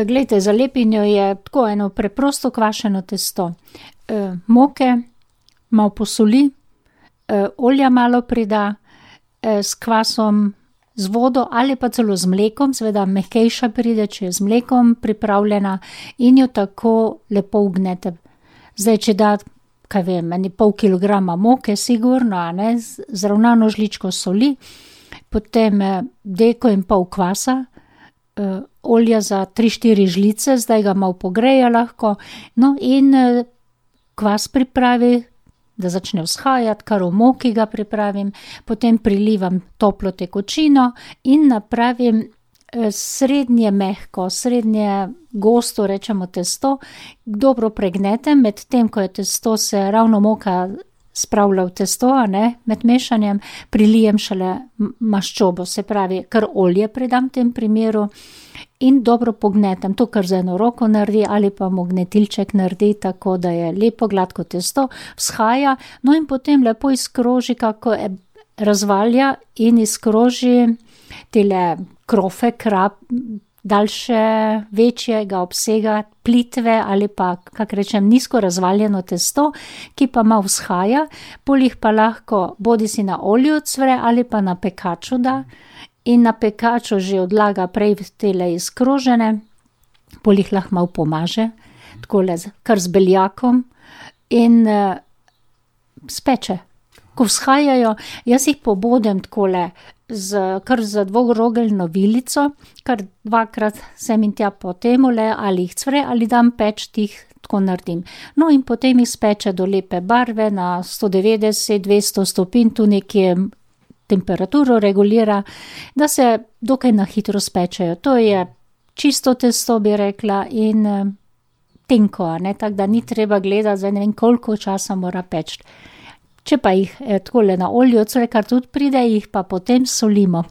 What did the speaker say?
Glejte, za lepinjo je tako eno preprosto kvašeno testo. Moke, malo posoli, olja malo prida, s kvasom, z vodo ali pa celo z mlekom, seveda mehkejša pride, če je z mlekom pripravljena, in jo tako lepo vgnete. Zdaj, če da, kaj vem, pol kilograma moke, sigurno, a ne, zravnano žličko soli, potem deko in pol kvasa, olja za 3-4 žlice, zdaj ga malo pogreje lahko, no in kvas pripravi, da začne vzhajati, kar v moki ga pripravim, potem prilivam toplo tekočino in napravim srednje mehko, srednje gosto, rečemo testo, dobro pregnetem, med tem, ko je testo se ravno moka spravlja v testo, a ne, med mešanjem, prilijem šele maščobo, se pravi, kar olje predam v tem primeru in dobro pognetem, to kar z eno roko naredi ali pa mu gnetilček naredi, tako da je lepo gladko testo, vzhaja, no in potem lepo izkroži, kako razvalja in izkroži tele krofe, daljše, večjega obsega, plitve ali pa, kak rečem, nizko razvaljeno testo, ki pa malo vzhaja, pol jih pa lahko bodisi na olju ocvre ali pa na pekaču da in na pekaču že odlaga prej tele izkrožene, pol jih lahko malo pomaže, takole kar z beljakom in speče. Ko vzhajajo, jaz jih pobodem takole kar z dvorogeljno vilico, kar 2-krat sem in tja po temule, ali jih cvre, ali dam peč, tih tako naredim. No in potem jih speče do lepe barve na 190-200 stopinj, tu nekje temperaturo regulira, da se dokaj na hitro spečejo. To je čisto testo, bi rekla, in tenko, a ne, tako da ni treba gledati, zdaj ne vem, koliko časa mora peči. Če pa jih takole na olju ocvre, kar tudi pride, jih pa potem solimo.